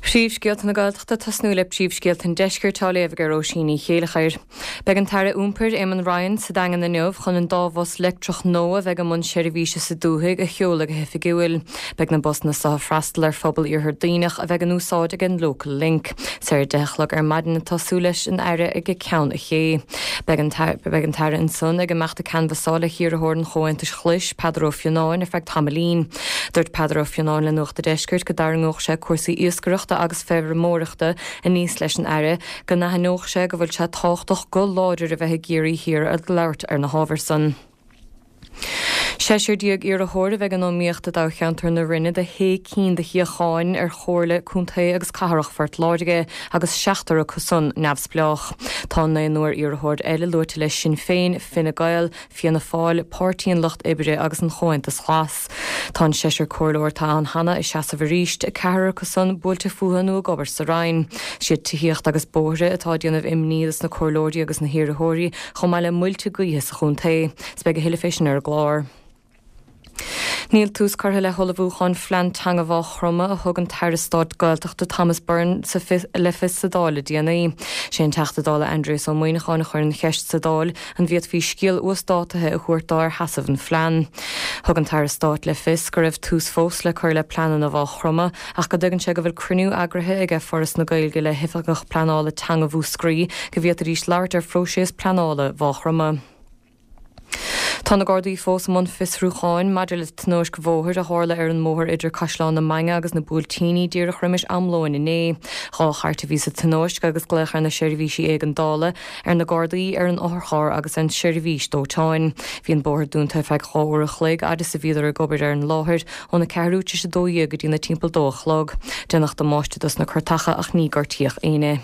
Príomhscéalta na Gaeltachta ag tosnú le príomhscéalta an Deiscirt á léamh ag Róisín Ní Chéilleachair. Beidh an tAire Iompair, Eamon Ryan, sa Daingean inniu chun an dá bhus leictreach nua a bheidh i mbun seirbhíse sa dúthaigh a sheoladh go hoifigiúil. Beidh na busanna seo ag freastal ar phobal Iarthar Duibhneach a bheidh in úsáid ag an Local Link. Is ar a 10 a chlog ar maidin atá súil leis an Aire ag Ceann an Ché. Beidh an Beidh an tAire ansan ag imeacht ag canbhasáil le hiarrthóir an Chomhaontais Ghlais, Peadar Ó Fionnáin, ar feadh tamaillín. Dúirt Peadar Ó Fionnáin le Nuacht a' Deiscirt go dtarraingeodh sé cúrsaí iascaireachta agus feirmeoireachta aníos leis an Aire, go n-aithneodh sé go bhfuil sé tábhachtach guth láidir a bheith i gCiarraí Thiar ag labhairt ar na hábhair san. 16 iarrthóir a bheidh in iomaíocht i dtoghcheantar na Rinne do shé cinn de shuíocháin ar Chomhairle Contae agus Cathrach Phort Láirge agus seachtar acu san neamhspleách. Tá naonúr iarrthóir eile luaite le Sinn Féin, Fine Gael, Fianna Fáil, Páirtí an Lucht Oibre agus an Chomhaontas Glas. Tá an seisear comhairleoir atá ann cheana ag seasamh arís, ceathrar acu san buailte fúthu nó ag obair sa Roinn. Siad tithíocht agus bóithre atá ag déanamh imní dos na comhairleoirí agus na hiarrthóirí, chomh maith le muilte gaoithe sa chontae. 'S beidh a thuilleadh fé sin ar an gclár. Níl tús curtha le hullmhúcháin phlean teanga Mhaigh Chromtha a thug an tAire Stáit Gaeltachta Thomas Byrne le fios sa Dáil le déanaí. Sé an Teachta Dála Aindrias Ó Muimhneacháin a chuir an cheist sa Dáil an bhféadfaí scéal uasdátaithe a thabhairt dó ar sheasamh an phlean. Thug an tAire Stáit le fios go raibh tús fós le cur le pleananna Mhaigh Chromtha ach go dtuigeann sé go bhfuil cruinniú eagraithe aige Foras na Gaeilge le hOifigeach Pleanála Teanga Mhúscraí go bhféadfaidís labhairt ar phróiseas pleanála Mhaigh Chromtha. Tá na Gardaí fós i mbun fiosrúcháin maidir le tionóisc bhóthair a tharla ar an mbóthar idir Caisleán na Mainge agus na Buailtíní díreach roimis am lóin inné. Dhá chairt a bhí sa tionóisc agus glaodh ar na seirbhísí éigeandála, ar na Gardaí, ar an otharcharr agus ar an tseirbhís dóiteáin. Bhí an bóthar dúnta ar feadh 2 uair a chloig fhad is a bhíodar ag obair ar an láthair, óna ceathrú tar éis a 12 go dtí na timpeall 2 a chlog. Déanadh damáiste dos na cairteacha ach ní gortaíodh éinne.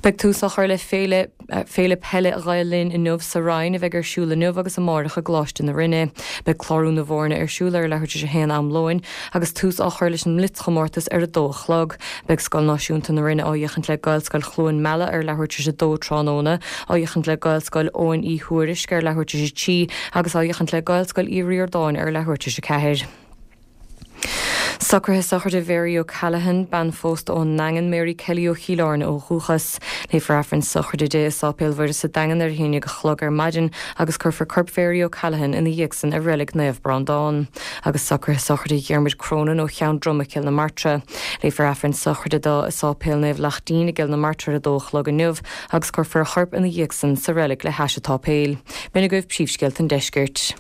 Beidh tús á chur le Féile Féile Peile Ghael Linn inniu sa Rinn a bheidh ar siúl inniu agus amárach i gColáiste na Rinne. Beidh clárú na bhfoirne ar siúl ar leathuair tar éis a haon am lóin agus tús á chur leis an mblitzchomórtas ar a dó a chlog. Beidh Scoil Náisiúnta na Rinne á fhéachaint le Gaelscoil Chluain Meala ar leathuair tar éis a dó tráthnóna, á fhéachaint le Gaelscoil Eoghain Uí Thuairisc ar leathuair tar éis a trí agus á fhéachaint le Gaelscoil Uí Ríordáin ar leathuair tar éis a ceathair. Socruithe sochraide Mhary O'Callaghan, bean phósta ón nDaingean, Mary Kelly ó Chill Airne ó dhúchas. Léifear Aifreann sochraide di i Sáipéal Mhuire sa Daingean ar a haon dhéag a chlog ar maidin agus cuirfear corp Mhary O'Callaghan ina dhiaidh san i Reilig Naomh Breandán. Agus socruithe sochraide Dhiarmuid Cronin ó Cheann Droma, Cill na Martra. Léifear Aifreann sochraide dó i Sáipéal Naomh Laichtín i gCill na Martra ar a dó a chlog inniu agus cuirfear a chorp ina dhiaidh san sa reilig le hais an tsáipéil. B'in agaibh príomhscéalta an deiscirt.